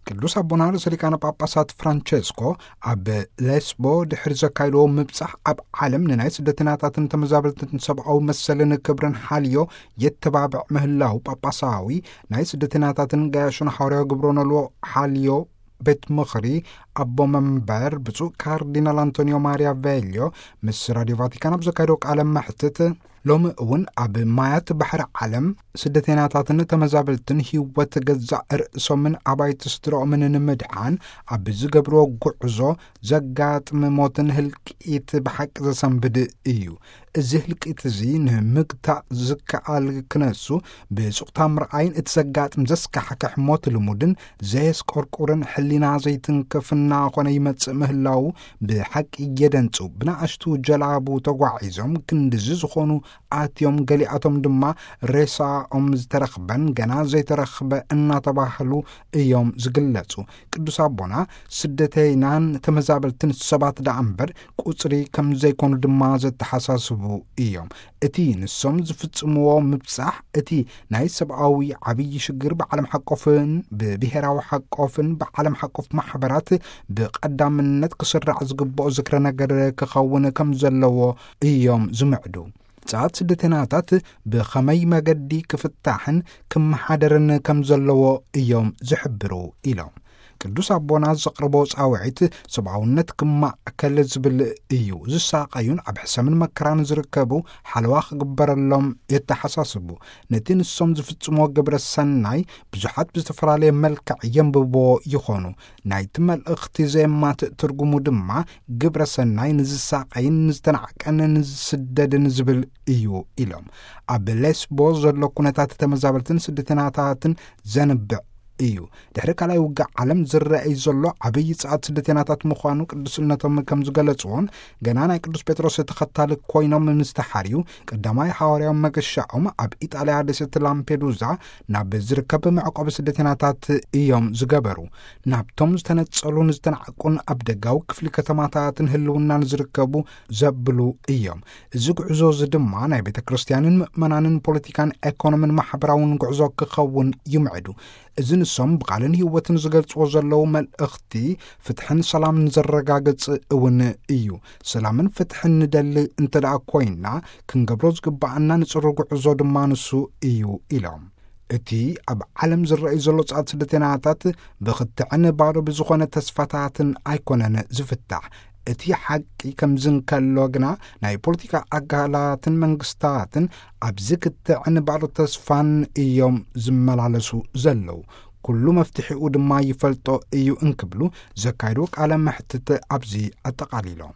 ቅዱስ ኣቦና ርእሰ ሊቃነ ጳጳሳት ፍራንቸስኮ ኣብ ሌስቦ ድሕሪ ዘካይድዎ ምብጻሕ፣ ኣብ ዓለም ንናይ ስደተኛታትን ተመዛበልትን ሰብኣዊ መሰልን ክብርን ሓልዮ የተባብዕ ምህላው፣ ጳጳሳዊ ናይ ስደተኛታትን ገያሾን ሓዋርያዊ ግብረ ኖልዎ ሓልዮ ቤት ምኽሪ ኣቦ መንበር ብፁዕ ካርዲናል ኣንቶኒዮ ማሪያ ቬልዮ ምስ ራዲዮ ቫቲካን ኣብ ዘካየደው ቃለ መሕትት፣ ሎሚ እውን ኣብ ማያት ባሕሪ ዓለም ስደተኛታትን ተመዛበልትን ህይወት ገዛእ ርእሶምን ኣባይቲ ስድራኦምን ንምድሓን ኣብ ዝገብርዎ ጉዕዞ ዘጋጥም ሞትን ህልቂት ብሓቂ ዘሰንብድ እዩ። እዚ ህልቂት እዚ ንምግታእ ዝከኣል ክነሱ ብሱቕታ ምርኣይን እቲ ዘጋጥም ዘስካሕክሕ ሞት ልሙድን ዘየስቆርቁርን ሕሊና ዘይትንክፍ እናኾነ ይመጽእ ምህላዉ ብሓቂ የደንጹ። ብናእሽቱ ጀላቡ ተጓዒዞም ክንድዚ ዝኾኑ ኣትዮም፣ ገሊኣቶም ድማ ሬሳኦም ዝተረኽበን ገና ዘይተረኽበ እናተባህሉ እዮም ዝግለጹ። ቅዱስ ኣቦና ስደተይናን ተመዛበልትን ሰባት ደኣ እምበር ቁጽሪ ከም ዘይኮኑ ድማ ዘተሓሳስቡ እዮም። እቲ ንሶም ዝፍጽምዎ ምብጻሕ፣ እቲ ናይ ሰብኣዊ ዓብዪ ሽግር ብዓለም ሓቆፍን ብብሄራዊ ሓቆፍን ብዓለም ሓቆፍ ማሕበራት ብቐዳምነት ክስራዕ ዝግብኦ ዝክረ ነገር ክኸውን ከም ዘለዎ እዮም ዝምዕዱ። ጻት ስደተናታት ብኸመይ መገዲ ክፍታሕን ክመሓደርን ከም ዘለዎ እዮም ዝሕብሩ ኢሎም። ቅዱስ ኣቦና ዘቕርቦ ጻውዒት ሰብኣውነት ክማእከል ዝብል እዩ። ዝሳቐዩን ኣብ ሕሰምን መከራን ዝርከቡ ሓለዋ ክግበረሎም የተሓሳስቡ። ነቲ ንሶም ዝፍጽሞ ግብረ ሰናይ ብዙሓት ብዝተፈላለየ መልክዕ የንብብዎ ይኾኑ። ናይቲ መልእኽቲ ዘየማትእ ትርጉሙ ድማ ግብረ ሰናይ ንዝሳቐይን ንዝተናዕቀን ንዝስደድን ዝብል እዩ ኢሎም። ኣብ ሌስቦ ዘሎ ኩነታት ተመዛበልትን ስደተናታትን ዘንብዕ እዩ። ድሕሪ ካልኣይ ውግእ ዓለም ዝረኣይ ዘሎ ዓብዪ ጸዓት ስደተናታት ምዃኑ ቅዱስነቶም ከም ዝገለጽዎን፣ ገና ናይ ቅዱስ ጴጥሮስ ተኸታሊ ኮይኖም ምስ ተሓርዩ፣ ቀዳማይ ሓዋርያዊ መገሻኦም ኣብ ኢጣልያ ደሴት ላምፔዱዛ ናብ ዝርከብ መዕቆቢ ስደተናታት እዮም ዝገበሩ። ናብቶም ዝተነጸሉን ዝተናዕቁን ኣብ ደጋዊ ክፍሊ ከተማታትን ህልውናን ዝርከቡ ዘብሉ እዮም። እዚ ጉዕዞ እዚ ድማ ናይ ቤተ ክርስቲያንን ምእመናንን ፖለቲካን ኤኮኖምን ማሕበራውን ጉዕዞ ክኸውን ይምዕዱ። እዚ ንሶም ብቓልን ህይወትን ዝገልጽዎ ዘለዉ መልእኽቲ ፍትሕን ሰላምን ዘረጋግጽ እውን እዩ። ሰላምን ፍትሕን ንደሊ እንተ ደኣ ኮይና፣ ክንገብሮ ዝግባኣና ንጽሩ ጉዕዞ ድማ ንሱ እዩ ኢሎም። እቲ ኣብ ዓለም ዝረኣዩ ዘሎ ጻት ስደተናታት ብኽትዕን ባዶ ብዝኾነ ተስፋታትን ኣይኮነን ዝፍታሕ። እቲ ሓቂ ከምዚ እንከሎ ግና፣ ናይ ፖለቲካ ኣካላትን መንግስታትን ኣብዚ ክትዕን ባዶ ተስፋን እዮም ዝመላለሱ ዘለዉ። ኩሉ መፍትሒኡ ድማ ይፈልጦ እዩ እንክብሉ ዘካይዱ ቃለ መሕትት ኣብዚ ኣጠቓሊሎም።